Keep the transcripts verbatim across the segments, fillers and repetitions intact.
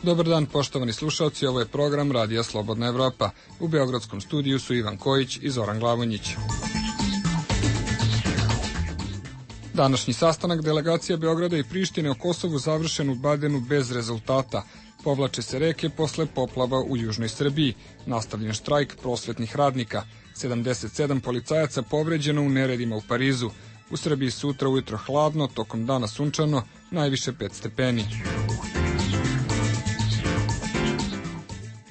Dobar dan, poštovani slušalci, ovo je program Radija Slobodna Evropa. U beogradskom studiju su Ivan Kojić i Zoran Glavonjić. Današnji sastanak delegacija Beograda i Prištine o Kosovu završen u Badenu bez rezultata. Povlače se reke posle poplava u južnoj Srbiji. Nastavljen štrajk prosvetnih radnika. sedamdeset sedam policajaca povređeno u neredima u Parizu. U Srbiji sutra ujutro hladno, tokom dana sunčano, najviše pet stepeni.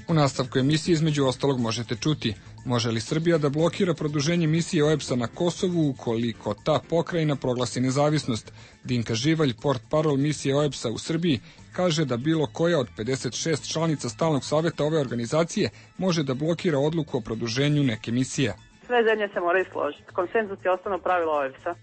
U nastavku emisije između ostalog možete čuti: može li Srbija da blokira produženje misije O E B S-a na Kosovu ukoliko ta pokrajina proglasi nezavisnost? Dinka Živalj, portparol misije O E B S-a u Srbiji, kaže da bilo koja od pedeset šest članica stalnog saveta ove organizacije može da blokira odluku o produženju neke misije. Sve zemlje se moraju složiti. Konsenzus je osnovno pravilo O E B S-a.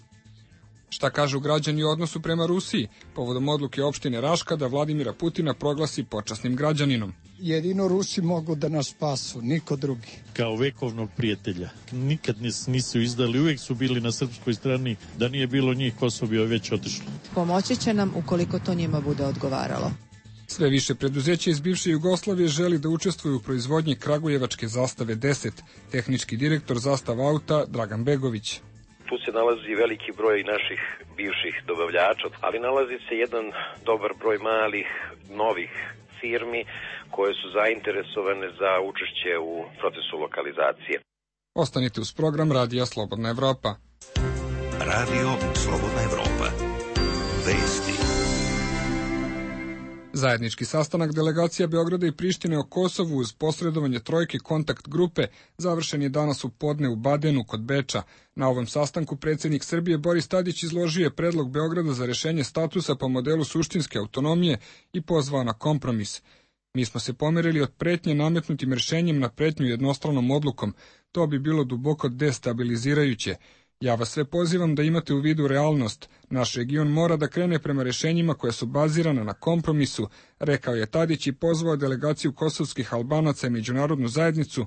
Šta kažu građani u odnosu prema Rusiji povodom odluke opštine Raška da Vladimira Putina proglasi počasnim građaninom? Jedino Rusi mogu da nas spasu, niko drugi. Kao vekovnog prijatelja. Nikad nisu izdali, uvijek su bili na srpskoj strani. Da nije bilo njih, Kosovo bi već otišlo. Pomoći će nam ukoliko to njima bude odgovaralo. Sve više preduzeća iz bivše Jugoslavije želi da učestvuju u proizvodnji kragujevačke zastave deset. Tehnički direktor Zastava auta Dragan Begović. Tu se nalazi veliki broj naših bivših dobavljača, ali nalazi se jedan dobar broj malih, novih firmi koje su zainteresovane za učešće u procesu lokalizacije. Ostanite uz program Radija Slobodna Evropa. Radio Slobodna Evropa. Vesti. Zajednički sastanak delegacija Beograda i Prištine o Kosovu uz posredovanje trojke kontakt grupe završen je danas u podne u Badenu kod Beča. Na ovom sastanku predsjednik Srbije Boris Tadić izložio je predlog Beograda za rešenje statusa po modelu suštinske autonomije i pozvao na kompromis. Mi smo se pomerili od pretnje nametnutim rešenjem na pretnju jednostranom odlukom. To bi bilo duboko destabilizirajuće. Ja vas sve pozivam da imate u vidu realnost. Naš region mora da krene prema rešenjima koja su bazirana na kompromisu, rekao je Tadić i pozvao delegaciju kosovskih Albanaca i međunarodnu zajednicu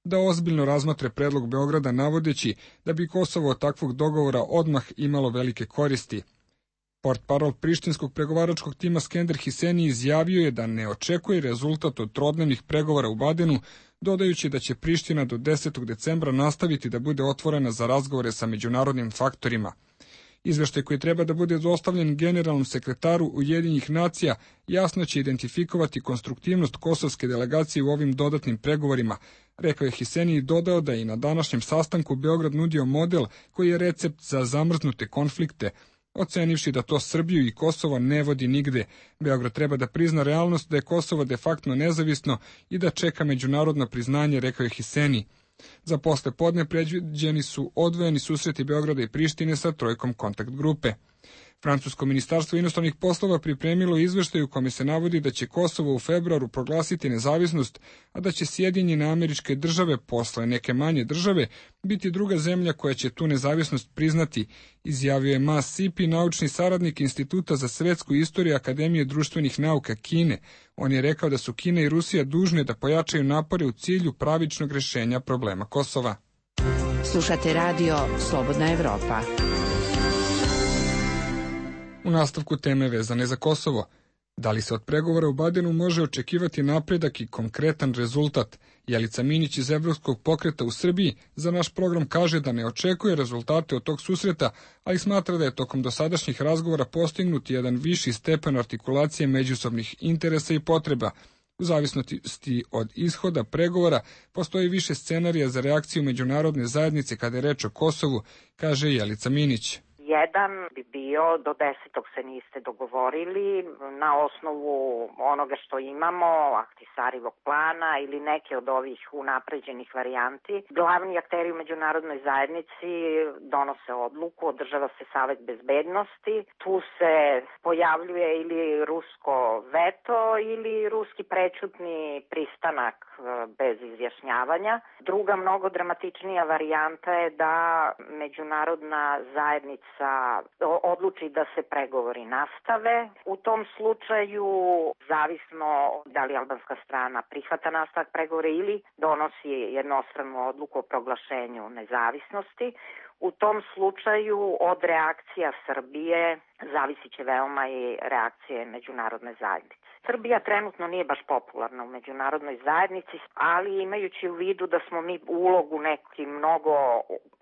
da ozbiljno razmatre predlog Beograda navodeći da bi Kosovo od takvog dogovora odmah imalo velike koristi. Portparol prištinskog pregovaračkog tima Skender Hiseni izjavio je da ne očekuje rezultat od trodnevnih pregovora u Badenu, dodajući da će Priština do desetog decembra nastaviti da bude otvorena za razgovore sa međunarodnim faktorima. Izveštaj koji treba da bude dostavljen generalnom sekretaru Ujedinjenih nacija jasno će identifikovati konstruktivnost kosovske delegacije u ovim dodatnim pregovorima, rekao je Hiseni i dodao da je i na današnjem sastanku Beograd nudio model koji je recept za zamrznute konflikte, ocenivši da to Srbiju i Kosovo ne vodi nigde. Beograd treba da prizna realnost da je Kosovo de facto nezavisno i da čeka međunarodno priznanje, rekao je Hiseni. Za posle podne predviđeni su odvojeni susreti Beograda i Prištine sa trojkom kontakt grupe. Francusko ministarstvo inostranih poslova pripremilo izveštaj u kome se navodi da će Kosovo u februaru proglasiti nezavisnost, a da će Sjedinjene Američke Države posle neke manje države biti druga zemlja koja će tu nezavisnost priznati, izjavio je Ma Sipi, naučni saradnik Instituta za svetsku istoriju Akademije društvenih nauka Kine. On je rekao da su Kina i Rusija dužne da pojačaju napore u cilju pravičnog rešenja problema Kosova. Slušate radio Slobodna Evropa. U nastavku teme vezane za Kosovo. Da li se od pregovora u Badenu može očekivati napredak i konkretan rezultat? Jelica Minić iz Evropskog pokreta u Srbiji za naš program kaže da ne očekuje rezultate od tog susreta, ali smatra da je tokom dosadašnjih razgovora postignut jedan viši stepen artikulacije međusobnih interesa i potreba. U zavisnosti od ishoda pregovora postoji više scenarija za reakciju međunarodne zajednice kada je reč o Kosovu, kaže Jelica Minić. Jedan bi bio do desetog se niste dogovorili na osnovu onoga što imamo, Ahtisarivog plana ili neke od ovih unapređenih varijanti. Glavni akteri u međunarodnoj zajednici donose odluku, održava se Savet bezbednosti, tu se pojavljuje ili rusko veto ili ruski prećutni pristanak bez izjašnjavanja. Druga mnogo dramatičnija varijanta je da međunarodna zajednica odluči da se pregovori nastave. U tom slučaju, zavisno da li albanska strana prihvata nastavak pregovora ili donosi jednostranu odluku o proglašenju nezavisnosti, u tom slučaju od reakcija Srbije zavisit će veoma i reakcije međunarodne zajednice. Srbija trenutno nije baš popularna u međunarodnoj zajednici, ali imajući u vidu da smo mi ulogu nekim mnogo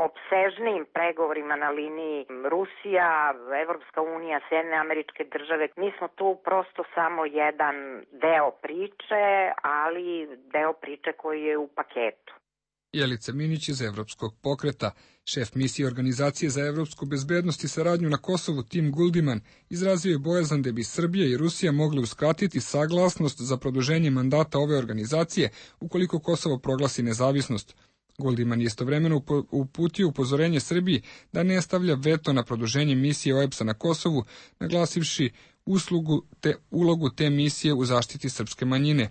opsežnijim pregovorima na liniji Rusija, Evropska unija, Sjedinjene Američke Države, mi smo tu prosto samo jedan deo priče, ali deo priče koji je u paketu. Jelica Minić iz Evropskog pokreta, šef misije Organizacije za evropsku bezbednost i saradnju na Kosovu Tim Guldiman, izrazio je bojazan da bi Srbija i Rusija mogli uskratiti saglasnost za produženje mandata ove organizacije ukoliko Kosovo proglasi nezavisnost. Guldiman je istovremeno uputio upozorenje Srbiji da ne stavlja veto na produženje misije O E B S-a na Kosovu, naglasivši uslugu te ulogu te misije u zaštiti srpske manjine.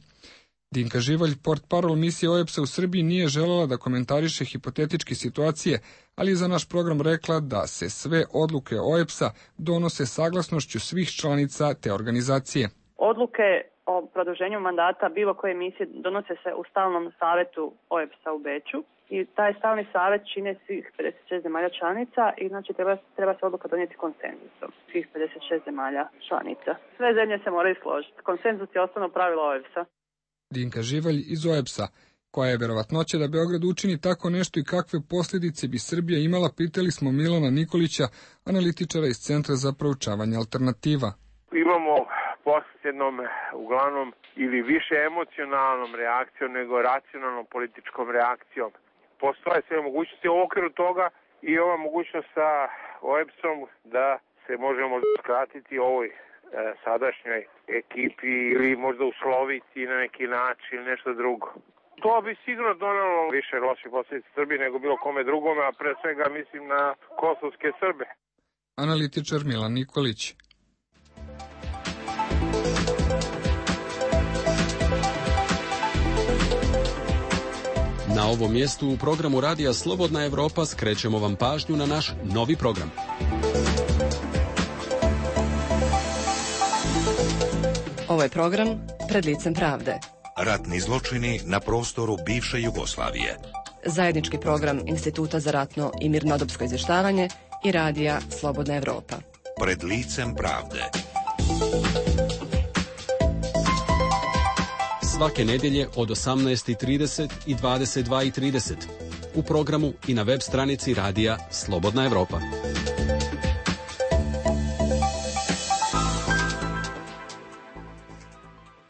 Dinka Živalj, portparol misije O E B S-a u Srbiji, nije želela da komentariše hipotetičke situacije, ali je za naš program rekla da se sve odluke O E B S-a donose saglasnošću svih članica te organizacije. Odluke o produženju mandata bilo koje misije donose se u stalnom savetu O E B S-a u Beču i taj stalni savet čine svih pedeset šest zemalja članica i znači treba, treba se odluka donijeti konsenzusom svih pedeset šest zemalja članica. Sve zemlje se moraju složiti. Konsenzus je osnovno pravilo O E B S-a. Dinka Živalj iz O E B S-a. Koja je verovatnoća da Beograd učini tako nešto i kakve posljedice bi Srbija imala, pitali smo Milana Nikolića, analitičara iz Centra za proučavanje alternativa. Imamo posljednom, uglavnom, ili više emocionalnom reakcijom nego racionalnom političkom reakcijom. Postoje sve mogućnosti u okviru toga i ova mogućnost sa O E B S-om da se možemo skratiti ovoj e, sadašnjoj ekipi ili možda usloviti na neki način ili nešto drugo. To bi sigurno donalo više loših posljedica Srbiji nego bilo kome drugome, a pre svega mislim na kosovske Srbe. Analitičar Milan Nikolić. Na ovom mjestu u programu Radija Slobodna Evropa skrećemo vam pažnju na naš novi program. Ovo je program Pred licem pravde. Ratni zločini na prostoru bivše Jugoslavije. Zajednički program Instituta za ratno i mirnodopsko izvještavanje i Radija Slobodna Evropa. Pred licem pravde. Svake nedjelje od osamnaest i trideset i dvadeset dva i trideset u programu i na web stranici Radija Slobodna Evropa.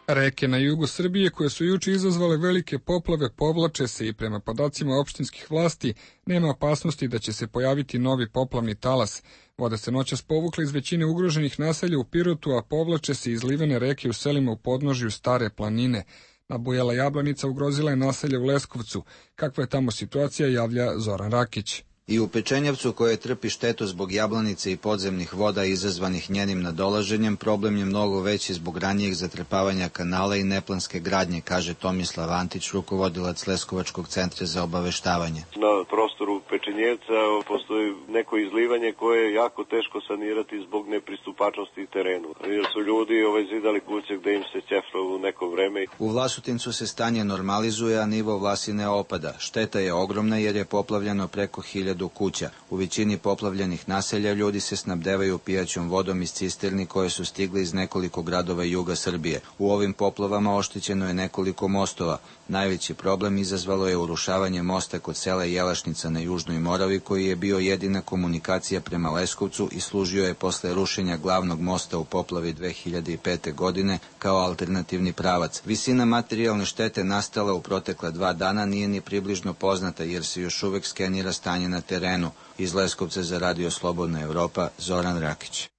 Reke na jugu Srbije, koje su juče izazvale velike poplave, povlače se i prema podacima opštinskih vlasti nema opasnosti da će se pojaviti novi poplavni talas. Voda se noćas povukla iz većine ugroženih naselja u Pirotu, a povlače se iz livene reke u selima u podnožju Stare planine. Nabujala Jablanica ugrozila je naselje u Leskovcu. Kakva je tamo situacija, javlja Zoran Rakić. I u Pečenjevcu, koje trpi štetu zbog Jablanice i podzemnih voda izazvanih njenim nadolaženjem, problem je mnogo veći zbog ranijeg zatrpavanja kanala i neplanske gradnje, kaže Tomislav Antić, rukovodilac Leskovačkog centra za obaveštavanje. Na prostoru Pečenjevca postoji neko izlivanje koje je jako teško sanirati zbog nepristupačnosti terenu. Jer su ljudi ovaj, zidali kuće gde im se ćeflo u neko vreme. U Vlasotincu se stanje normalizuje, a nivo Vlasine opada. Šteta je ogromna jer je poplavljeno preko hiljadu kuća. U većini poplavljenih naselja ljudi se snabdevaju pijaćom vodom iz cisterni koje su stigli iz nekoliko gradova juga Srbije. U ovim poplavama oštećeno je nekoliko mostova. Najveći problem izazvalo je urušavanje mosta kod sela Jelašnica na Južnoj Moravi, koji je bio jedina komunikacija prema Leskovcu i služio je posle rušenja glavnog mosta u poplavi dve hiljade pete. godine kao alternativni pravac. Visina materijalne štete nastala u protekla dva dana nije ni približno poznata jer se još uvek skenira stanje na terenu. Iz Leskovca za Radio Slobodna Evropa, Zoran Rakić.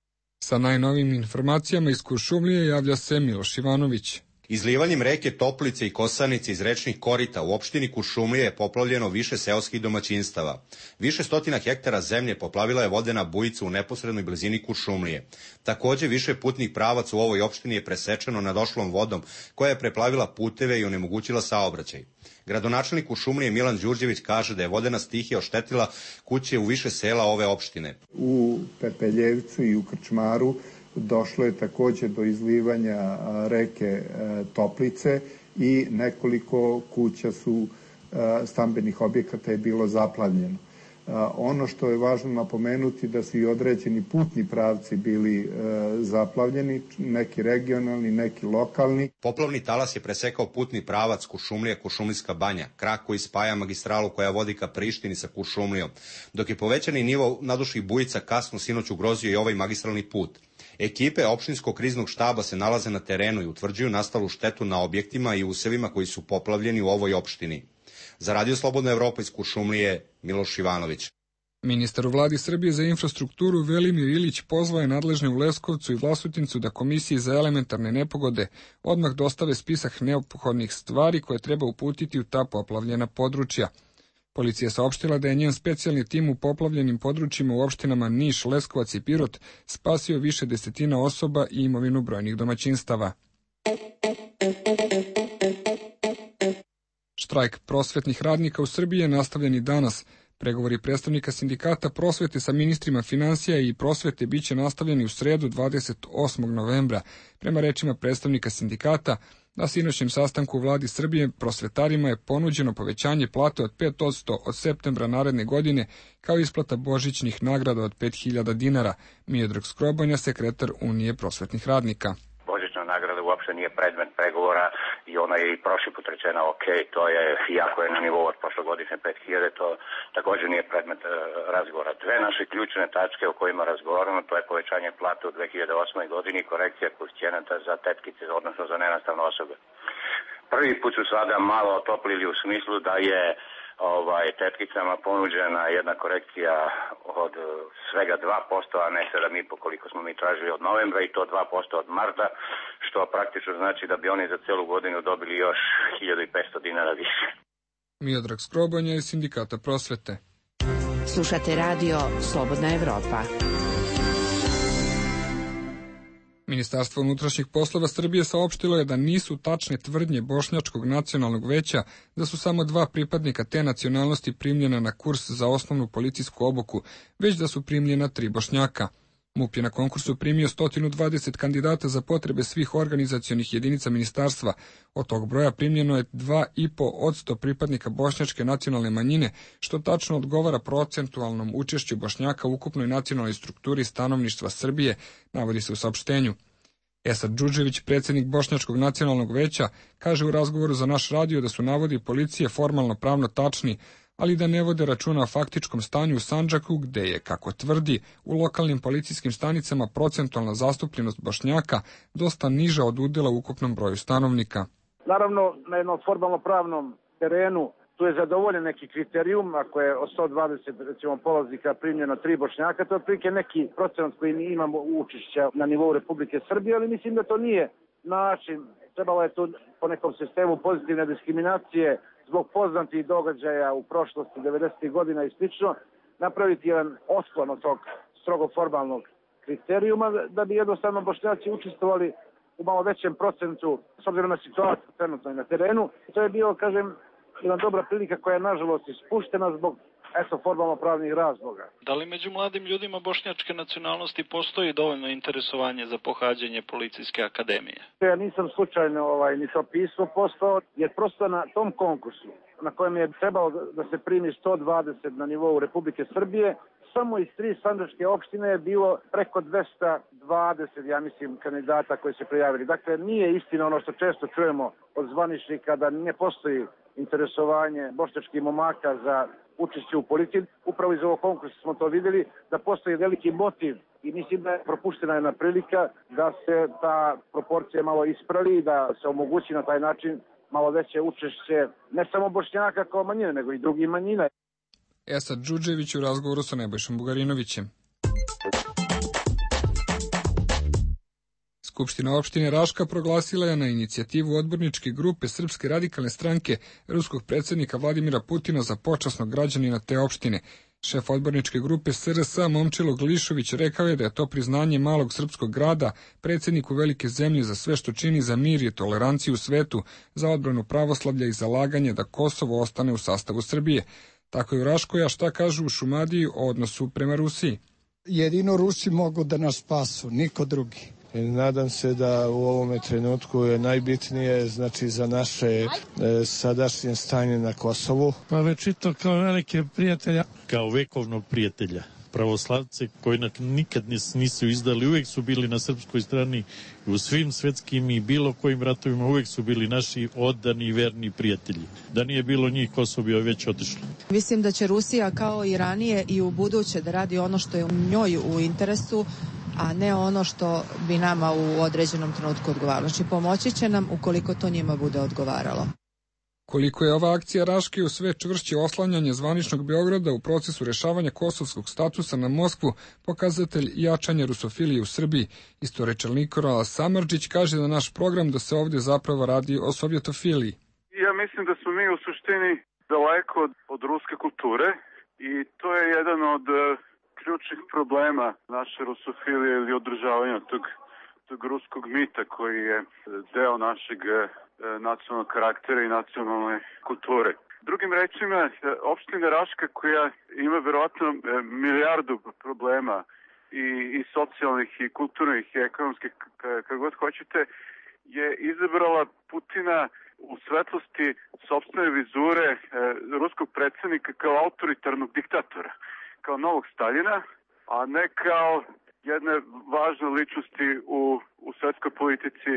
Sa najnovim informacijama iz Kuršumlije javlja se Miloš Ivanović. Izlivanjem reke Toplice i Kosanice iz rečnih korita u opštini Kuršumlije je poplavljeno više seoskih domaćinstava. Više stotina hektara zemlje poplavila je vodena bujica u neposrednoj blizini Kuršumlije. Takođe, više putnih pravaca u ovoj opštini je presečeno nadošlom vodom koja je preplavila puteve i onemogućila saobraćaj. Gradonačelnik Kuršumlije Milan Đurđević kaže da je vodena stihija oštetila kuće u više sela ove opštine. U Pepeljevcu i u Krčmaru došlo je također do izlivanja reke Toplice i nekoliko kuća su stambenih objekata je bilo zaplavljeno. Ono što je važno napomenuti da su i određeni putni pravci bili zaplavljeni, neki regionalni, neki lokalni. Poplavni talas je presekao putni pravac Kuršumlija-Kuršumlijska banja, krak koji spaja magistralu koja vodi ka Prištini sa Kuršumlijom, dok je povećani nivo naduših bujica kasno sinoć ugrozio i ovaj magistralni put. Ekipe opštinskog kriznog štaba se nalaze na terenu i utvrđuju nastalu štetu na objektima i usevima koji su poplavljeni u ovoj opštini. Za Radio Slobodna Evropa iz Kuršumlije, Miloš Ivanović. Ministar u vladi Srbije za infrastrukturu Velimir Ilić pozvao je nadležne u Leskovcu i Vlasotincu da Komisiji za elementarne nepogode odmah dostave spisak neophodnih stvari koje treba uputiti u ta poplavljena područja. Policija saopštila da je njen specijalni tim u poplavljenim područjima u opštinama Niš, Leskovac i Pirot spasio više desetina osoba i imovinu brojnih domaćinstava. Štrajk prosvetnih radnika u Srbiji je nastavljen i danas. Pregovori predstavnika sindikata prosvete sa ministrima finansija i prosvete biće nastavljeni u sredu dvadeset osmog novembra. Prema rečima predstavnika sindikata, na sinoćnjem sastanku u vladi Srbije prosvetarima je ponuđeno povećanje plate od pet posto od septembra naredne godine, kao isplata božićnih nagrada od pet hiljada dinara. Miodrag Skrobanja, sekretar Unije prosvetnih radnika. Božićna nagrada uopšte nije predmet pregovora i ona je i prošli put rečena ok, to je, iako je na nivou od prošlogodišnje pet hiljada, to također nije predmet uh, razgovora. Dve naše ključne tačke o kojima razgovaramo, to je povećanje plate u dve hiljade osmoj godini i korekcija koeficijenata za tetkice, odnosno za nenastavne osobe. Prvi put su sada malo otoplili u smislu da je ovaj, tetkicama ponuđena jedna korekcija od svega dva posto, a ne sedam i po koliko smo mi tražili od novembra i to dva posto od marta, što praktično znači da bi oni za celu godinu dobili još hiljadu petsto dinara više. Miodrag Skrobanja iz Sindikata prosvete. Slušate radio Slobodna Evropa. Ministarstvo unutrašnjih poslova Srbije saopštilo je da nisu tačne tvrdnje Bošnjačkog nacionalnog veća da su samo dva pripadnika te nacionalnosti primljena na kurs za osnovnu policijsku obuku, već da su primljena tri Bošnjaka. MUP je na konkursu primio sto dvadeset kandidata za potrebe svih organizacionih jedinica ministarstva. Od tog broja primljeno je dva i po odsto pripadnika bošnjačke nacionalne manjine, što tačno odgovara procentualnom učešću Bošnjaka u ukupnoj nacionalnoj strukturi stanovništva Srbije, navodi se u saopštenju. Esad Džudžević, predsjednik Bošnjačkog nacionalnog veća, kaže u razgovoru za naš radio da su navodi policije formalno pravno tačni, ali da ne vode računa o faktičkom stanju u Sandžaku, gde je, kako tvrdi, u lokalnim policijskim stanicama procentualna zastupljenost Bošnjaka dosta niža od udela u ukupnom broju stanovnika. Naravno, na jednom formalno pravnom terenu tu je zadovoljen neki kriterijum, ako je od sto dvadeset recimo polaznika primljeno tri Bošnjaka, to je otprilike neki procenat koji mi imamo učešća na nivou Republike Srbije, ali mislim da to nije način. Trebalo je tu po nekom sistemu pozitivne diskriminacije zbog poznatih događaja u prošlosti devedesetih godina i slično, napraviti jedan otklon od tog strogo formalnog kriterijuma da bi jednostavno Bošnjaci učestvovali u malo većem procentu s obzirom na situaciju trenutno i na terenu. To je bio, kažem, jedna dobra prilika koja je nažalost ispuštena zbog eto formalno pravnih razloga. Da li među mladim ljudima bošnjačke nacionalnosti postoji dovoljno interesovanje za pohađanje policijske akademije? Ja nisam slučajno ovaj, ni to pismo postao, jer prosto na tom konkursu na kojem je trebalo da se primi sto dvadeset na nivou Republike Srbije, samo iz tri sandžačke opštine je bilo preko dvesta dvadeset, ja mislim, kandidata koji se prijavili. Dakle, nije istina ono što često čujemo od zvaničnika da ne postoji interesovanje bošnjačkih momaka za učešće u policiji. Upravo iz ovog konkursa smo to vidjeli, da postoji veliki motiv i mislim da je propuštena jedna prilika da se ta proporcija malo ispravi i da se omogući na taj način malo veće učešće ne samo Bošnjaka kao manjine, nego i drugih manjina. Esad Džudžević u razgovoru sa Nebojšom Bugarinovićem. Skupština opštine Raška proglasila je na inicijativu odborničke grupe Srpske radikalne stranke ruskog predsjednika Vladimira Putina za počasnog građanina te opštine. Šef odborničke grupe S R S Momčilo Glišović rekao je da je to priznanje malog srpskog grada predsjedniku velike zemlje za sve što čini za mir i toleranciju u svetu, za odbranu pravoslavlja i zalaganje da Kosovo ostane u sastavu Srbije. Tako je u Raškoj, a šta kažu u Šumadiji o odnosu prema Rusiji? Jedino Rusi mogu da nas spasu, niko drugi. I nadam se da u ovome trenutku je najbitnije, znači, za naše e, sadašnje stanje na Kosovu. Pa večito kao velike prijatelja. Kao vekovnog prijatelja. Pravoslavce koji nikad nisu izdali, uvek su bili na srpskoj strani u svim svetskim i bilo kojim ratovima, uvek su bili naši odani i verni prijatelji. Da nije bilo njih, Kosovo bi već otišlo. Mislim da će Rusija kao i ranije i u buduće da radi ono što je u njoj u interesu, a ne ono što bi nama u određenom trenutku odgovaralo. Znači pomoći će nam ukoliko to njima bude odgovaralo. Koliko je ova akcija Raške u sve čvršće oslanjanje zvaničnog Beograda u procesu rešavanja kosovskog statusa na Moskvu, pokazatelj jačanja rusofilije u Srbiji. Istoričar Nikola Samardžić kaže da naš program da se ovdje zapravo radi o sovjetofiliji. Ja mislim da smo mi u suštini daleko od, od ruske kulture i to je jedan od uh, ključnih problema naše rusofilije ili održavanja tog, tog ruskog mita koji je deo našeg nacionalnog karaktera i nacionalne kulture. Drugim rečima, opština Raška koja ima verovatno milijardu problema i, i socijalnih i kulturnih i ekonomskih, kako god hoćete, je izabrala Putina u svetlosti sopstvene vizure e, ruskog predsjednika kao autoritarnog diktatora, kao novog Staljina, a ne kao jedne važne ličnosti u, u svetskoj politici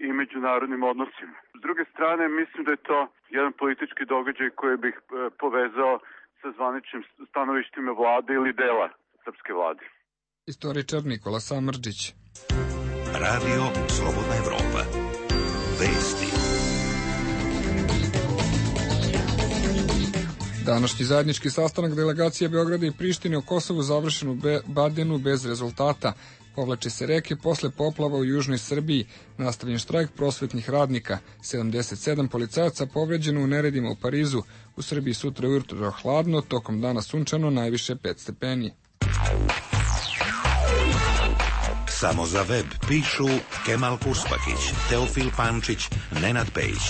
i međunarodnim odnosima. S druge strane, mislim da je to jedan politički događaj koji bih e, povezao sa zvaničnim stanovištima vlade ili dela srpske vlade. Istoričar Nikola Samardžić. Radio Slobodna Evropa. Vesti. Današnji zajednički sastanak delegacija Beograda i Prištine o Kosovu završen u Badenu bez rezultata. Povlače se reke posle poplava u južnoj Srbiji. Nastavljen štrajk prosvetnih radnika. sedamdeset sedam policajaca povređeno u neredima u Parizu. U Srbiji sutra ujutro hladno, tokom dana sunčano, najviše pet stepeni. Samo za web pišu Kemal Kuspakić, Teofil Pančić, Nenad Pejić.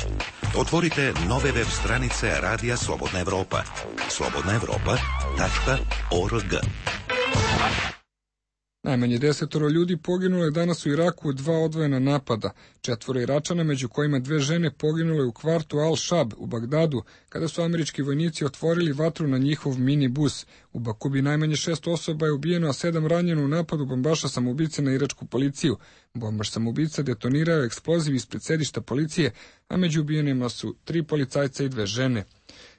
Otvorite nove web stranice Radija Slobodna Evropa. slobodna evropa tačka org. Najmanje desetoro ljudi poginulo je danas u Iraku u dva odvojena napada. Četvoro Iračana, među kojima dve žene, poginule u kvartu Al-Shab u Bagdadu, kada su američki vojnici otvorili vatru na njihov minibus. U Bakubi najmanje šest osoba je ubijeno, a sedam ranjeno u napadu bombaša samoubice na iračku policiju. Bombaš samoubica detonirao je eksploziv ispred sedišta policije, a među ubijenima su tri policajca i dve žene.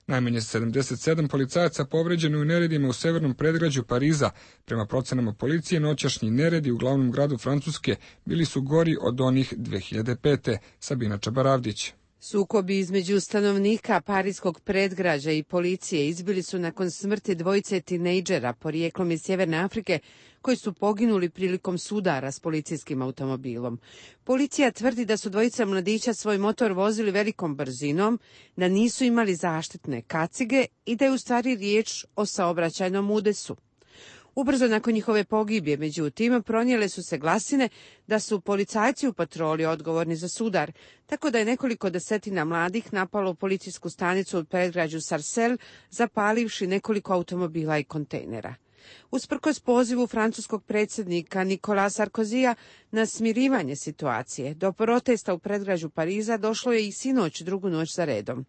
Najmanje sedamdeset sedam policajaca povređeno u neredima u severnom predgrađu Pariza. Prema procenama policije, noćašnji neredi u glavnom gradu Francuske bili su gori od onih dve hiljade pete. Sabina Čabaravdić. Sukobi između stanovnika parijskog predgrađa i policije izbili su nakon smrti dvojice tinejdžera porijeklom iz Sjeverne Afrike koji su poginuli prilikom sudara s policijskim automobilom. Policija tvrdi da su dvojica mladića svoj motor vozili velikom brzinom, da nisu imali zaštitne kacige i da je u stvari riječ o saobraćajnom udesu. Ubrzo nakon njihove pogibije, međutim, pronijele su se glasine da su policajci u patroli odgovorni za sudar, tako da je nekoliko desetina mladih napalo policijsku stanicu u predgrađu Sarcelles, zapalivši nekoliko automobila i kontejnera. Usprkos pozivu francuskog predsjednika Nikola Sarkozija na smirivanje situacije, do protesta u predgrađu Pariza došlo je i sinoć drugu noć za redom.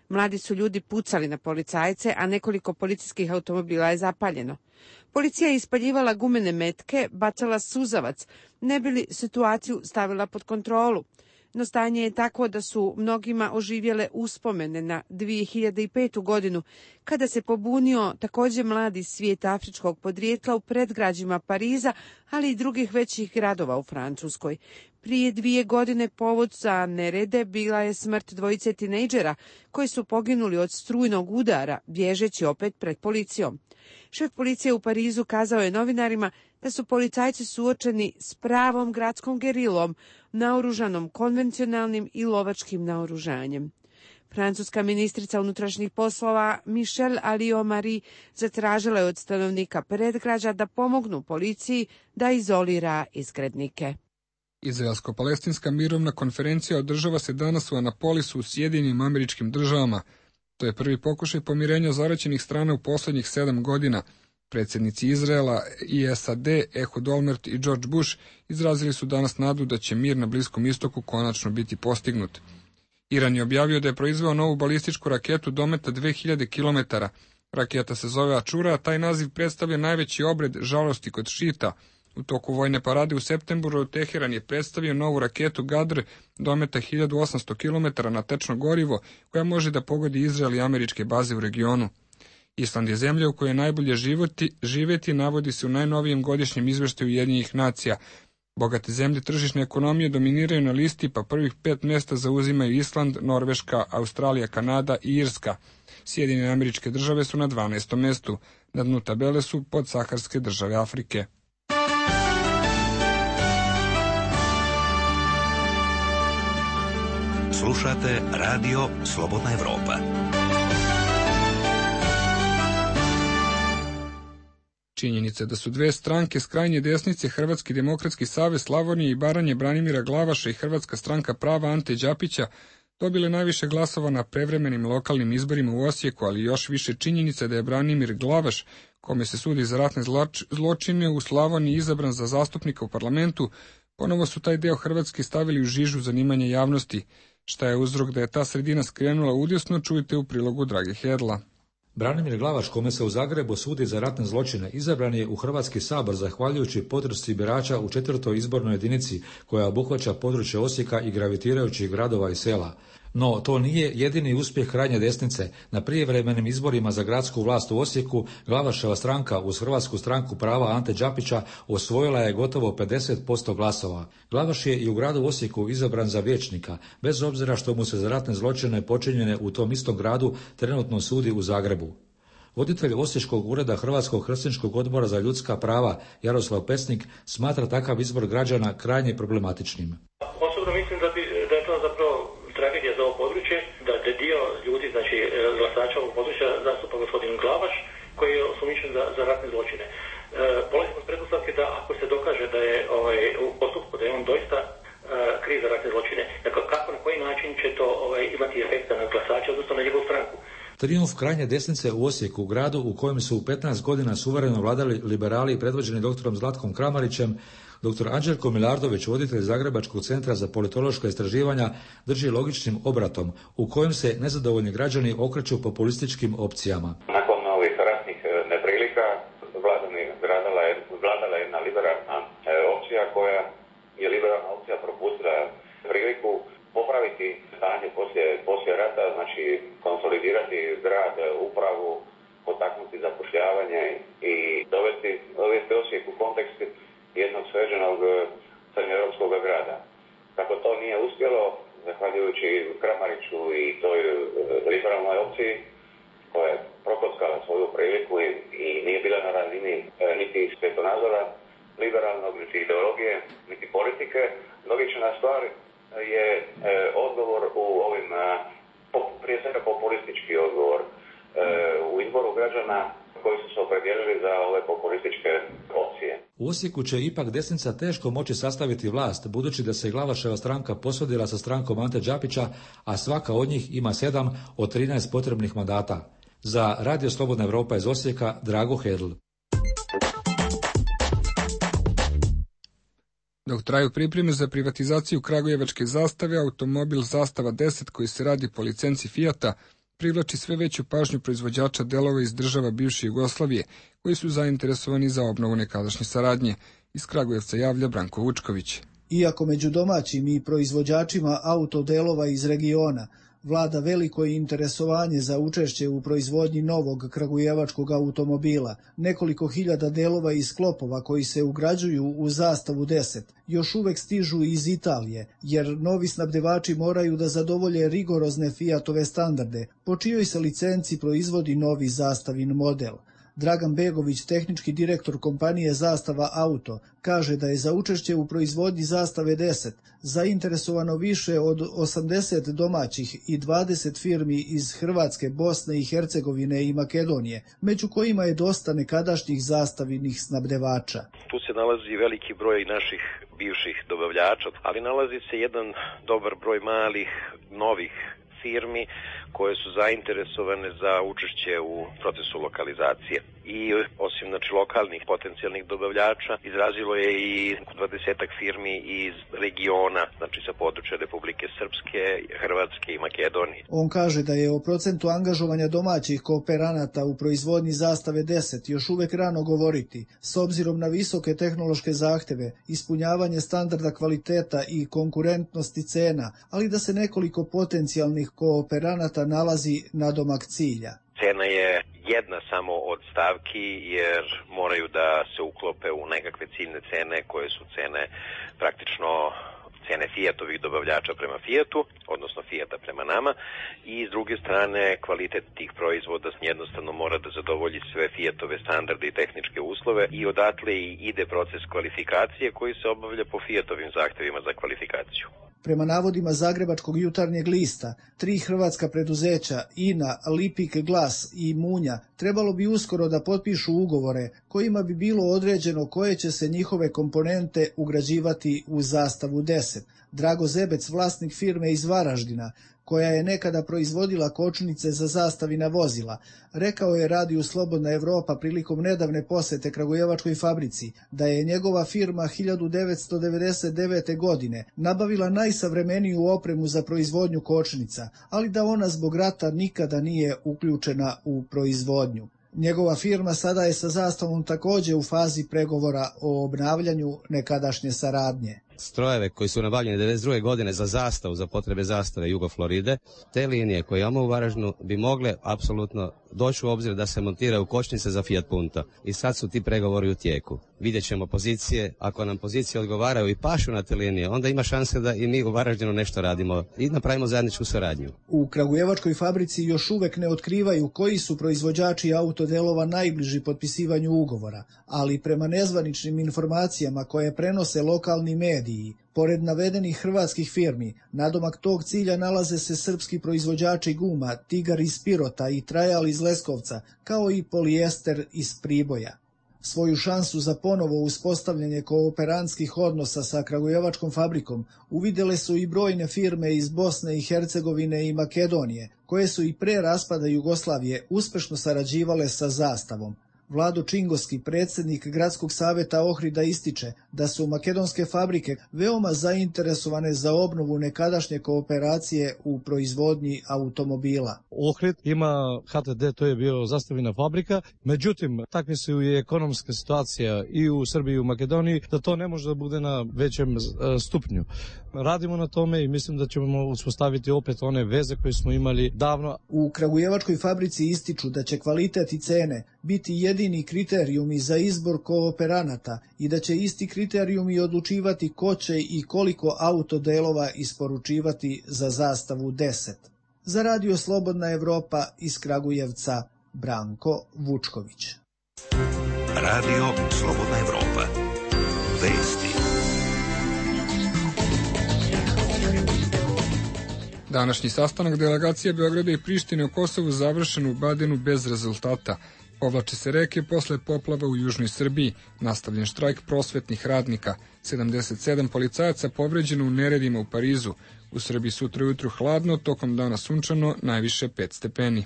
Mladi su ljudi pucali na policajce, a nekoliko policijskih automobila je zapaljeno. Policija je ispaljivala gumene metke, bacala suzavac, ne bi li situaciju stavila pod kontrolu. No stanje je tako da su mnogima oživjele uspomene na dvije hiljade petu godinu, kada se pobunio također mladi svijet afričkog podrijetla u predgrađima Pariza, ali i drugih većih gradova u Francuskoj. Prije dvije godine povod za nerede bila je smrt dvojice tinejdžera koji su poginuli od strujnog udara, bježeći opet pred policijom. Šef policije u Parizu kazao je novinarima da su policajci suočeni s pravom gradskom gerilom, naoružanom konvencionalnim i lovačkim naoružanjem. Francuska ministrica unutrašnjih poslova Michelle Alliot-Marie zatražila je od stanovnika predgrađa da pomognu policiji da izolira izgrednike. Izraelsko-palestinska mirovna konferencija održava se danas u Anapolisu u Sjedinjenim Američkim Državama. To je prvi pokušaj pomirenja zaraćenih strana u posljednjih sedam godina. Predsjednici Izraela i S A D, Ehud Olmert i George Bush, izrazili su danas nadu da će mir na Bliskom istoku konačno biti postignut. Iran je objavio da je proizveo novu balističku raketu dometa dve hiljade kilometara. Raketa se zove Ačura, a taj naziv predstavlja najveći obred žalosti kod šita. U toku vojne parade u septembru Teheran je predstavio novu raketu Gadr dometa hiljadu osamsto kilometara na tečno gorivo, koja može da pogodi Izrael i američke baze u regionu. Island je zemlja u kojoj je najbolje životi, živeti, navodi se u najnovijem godišnjem izveštaju Ujedinjenih nacija. Bogate zemlje tržišne ekonomije dominiraju na listi, pa prvih pet mjesta zauzimaju Island, Norveška, Australija, Kanada i Irska. Sjedinjene Američke Države su na dvanaestom mjestu. Na dnu tabele su podsaharske države Afrike. Slušate Radio Slobodna Evropa. Činjenica da su dve stranke s krajnje desnice, Hrvatski demokratski savez Slavonije i Baranje Branimira Glavaša i Hrvatska stranka prava Ante Đapića, dobile najviše glasova na prevremenim lokalnim izborima u Osijeku, ali još više činjenica da je Branimir Glavaš, kome se sudi za ratne zločine, u Slavoniji izabran za zastupnika u parlamentu, ponovo su taj deo Hrvatske stavili u žižu zanimanja javnosti. Šta je uzrok da je ta sredina skrenula udesno, čujte u prilogu Drage Hedla. Branimir Glavaš, kome se u Zagrebu sudi za ratne zločine, izabran je u Hrvatski sabor zahvaljujući podršci birača u četvrtoj izbornoj jedinici koja obuhvaća područje Osijeka i gravitirajućih gradova i sela. No, to nije jedini uspjeh krajnje desnice. Na prijevremenim izborima za gradsku vlast u Osijeku, Glavaševa stranka uz Hrvatsku stranku prava Ante Đapića osvojila je gotovo pedeset posto glasova. Glavaš je i u gradu Osijeku izabran za vijećnika, bez obzira što mu se za ratne zločine počinjene u tom istom gradu trenutno sudi u Zagrebu. Voditelj Osječkog ureda Hrvatskog hrvatskog odbora za ljudska prava Jaroslav Pesnik smatra takav izbor građana krajnje problematičnim. Osobno mislim da, bi, da je to zapravo tragedija za ovo područje, da je dio ljudi, znači glasača ovog područja zastupa gospodin Glavaš, koji je osumnjičen za, za ratne zločine. E, polazimo s pretpostavke da ako se dokaže da je ovaj, u postupku da je on doista e, kriv za ratne zločine, dakle kako, na koji način će to ovaj, imati efekta na glasača, odnosno na njegovu stranku. Trijumf krajnje desnice u Osijeku, gradu u kojem su u petnaest godina suvereno vladali liberali predvođeni doktorom Zlatkom Kramarićem, doktor Anđelko Milardović, voditelj Zagrebačkog centra za politološka istraživanja, drži logičnim obratom u kojem se nezadovoljni građani okreću populističkim opcijama. Nakon ovih ratnih neprilika vladala je, vladala jedna liberalna opcija koja je liberalna opcija propustila priliku popraviti stanje poslije, poslije rata, znači konsolidirati grad, upravu, potaknuti zapošljavanje i dovesti, dovesti Osijek u kontekst jednog sređenog srednjoeuropskog grada. Kako to nije uspjelo, zahvaljujući Kramariću i toj liberalnoj opciji koja je prokockala svoju priliku i, i nije bila na razini e, niti svjetonazora liberalnog, niti ideologije, niti politike, logična stvar je e, odgovor u ovim, a, po, prije svega populistički odgovor e, u izboru građana koji su se opredijelili za ove populističke opcije. U Osijeku će ipak desnica teško moći sastaviti vlast, budući da se Glavaševa stranka posvodila sa strankom Ante Đapića, a svaka od njih ima sedam od trinaest potrebnih mandata. Za Radio Slobodna Evropa iz Osijeka, Drago Hedl. Dok traju pripreme za privatizaciju kragujevačke zastave, automobil Zastava deset koji se radi po licenci Fijata privlači sve veću pažnju proizvođača delova iz država bivše Jugoslavije, koji su zainteresovani za obnovu nekadašnje saradnje. Iz Kragujevca javlja Branko Vučković. Iako među domaćim i proizvođačima autodelova iz regiona vlada veliko interesovanje za učešće u proizvodnji novog kragujevačkog automobila, nekoliko hiljada delova i sklopova koji se ugrađuju u Zastavu deset još uvek stižu iz Italije, jer novi snabdevači moraju da zadovolje rigorozne Fiatove standarde, po čijoj se licenci proizvodi novi Zastavin model. Dragan Begović, tehnički direktor kompanije Zastava Auto, kaže da je za učešće u proizvodnji Zastave deset zainteresovano više od osamdeset domaćih i dvadeset firmi iz Hrvatske, Bosne i Hercegovine i Makedonije, među kojima je dosta nekadašnjih zastavinih snabdevača. Tu se nalazi veliki broj naših bivših dobavljača, ali nalazi se jedan dobar broj malih, novih firmi koje su zainteresovane za učešće u procesu lokalizacije. i osim znači lokalnih potencijalnih dobavljača izrazilo je i dvadesetak firmi iz regiona, znači sa područja Republike Srpske, Hrvatske i Makedonije. On kaže da je o procentu angažovanja domaćih kooperanata u proizvodnji Zastave deset još uvek rano govoriti, s obzirom na visoke tehnološke zahteve, ispunjavanje standarda kvaliteta i konkurentnosti cena, ali da se nekoliko potencijalnih kooperanata nalazi nadomak cilja. Cena je jedna samo od stavki jer moraju da se uklope u nekakve ciljne cene koje su cene praktično cene Fiatovih dobavljača prema Fiatu, odnosno Fiata prema nama, i s druge strane kvalitet tih proizvoda jednostavno mora da zadovolji sve Fiatove standarde i tehničke uslove i odatle i ide proces kvalifikacije koji se obavlja po Fiatovim zahtevima za kvalifikaciju. Prema navodima Zagrebačkog jutarnjeg lista, tri hrvatska preduzeća I N A, Lipik Glas i Munja trebalo bi uskoro da potpišu ugovore kojima bi bilo određeno koje će se njihove komponente ugrađivati u Zastavu deset. Drago Zebec, vlasnik firme iz Varaždina, koja je nekada proizvodila kočnice za zastavina vozila, rekao je Radiju Slobodna Evropa prilikom nedavne posete kragujevačkoj fabrici da je njegova firma hiljadu devetsto devedeset devete. godine nabavila najsavremeniju opremu za proizvodnju kočnica, ali da ona zbog rata nikada nije uključena u proizvodnju. Njegova firma sada je sa Zastavom također u fazi pregovora o obnavljanju nekadašnje saradnje. Strojeve koji su nabavljeni devedeset druge. godine za Zastavu, za potrebe Zastave Jugofloride, te linije koje imamo u Varaždinu bi mogle apsolutno doći u obzir da se montiraju kočnice za Fiat Punto. I sad su ti pregovori u tijeku. Vidjet ćemo pozicije, ako nam pozicije odgovaraju i pašu na te linije, onda ima šanse da i mi u Varaždinu nešto radimo i napravimo zajedničku suradnju. U kragujevačkoj fabrici još uvek ne otkrivaju koji su proizvođači autodelova najbliži potpisivanju ugovora, ali prema nezvaničnim informacijama koje prenose lokalni mediji, pored navedenih hrvatskih firmi, nadomak tog cilja nalaze se srpski proizvođači guma Tigar iz Pirota i Trajal iz Leskovca, kao i Polijester iz Priboja. Svoju šansu za ponovo uspostavljanje kooperantskih odnosa sa kragujevačkom fabrikom uvidjele su i brojne firme iz Bosne i Hercegovine i Makedonije, koje su i pre raspada Jugoslavije uspešno sarađivale sa Zastavom. Vlado Čingoski, predsjednik Gradskog saveta Ohrida, ističe da su makedonske fabrike veoma zainteresovane za obnovu nekadašnje kooperacije u proizvodnji automobila. Ohrid ima H T D, to je bio Zastavina fabrika, međutim, takve su i ekonomska situacija i u Srbiji i u Makedoniji, da to ne može da bude na većem stupnju. Radimo na tome i mislim da ćemo uspostaviti opet one veze koje smo imali davno. U kragujevačkoj fabrici ističu da će kvalitet i cene biti jedini kriterijumi za izbor kooperanata i da će isti kriterijumi odlučivati ko će i koliko autodelova isporučivati za Zastavu deset. Za Radio Slobodna Evropa iz Kragujevca, Branko Vučković. Radio Slobodna Evropa. Vesti. Današnji sastanak delegacije Beograda i Prištine o Kosovu završen u Badenu bez rezultata. Povlače se reke posle poplava u južnoj Srbiji, nastavljen štrajk prosvetnih radnika, sedamdeset sedam policajaca povređeno u neredima u Parizu. U Srbiji sutra ujutru hladno, tokom dana sunčano, najviše pet stepeni.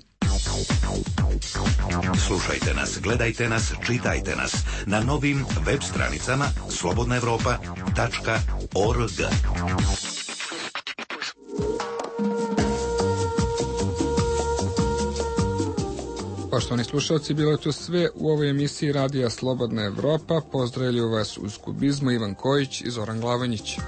Slušajte nas, gledajte nas, čitajte nas na novim web stranicama slobodna evropa tačka org. Poštovani slušalci, bilo je to sve u ovoj emisiji Radija Slobodna Evropa. Pozdravljaju vas uz kubizmu Ivan Kojić i Zoran Glavanjić.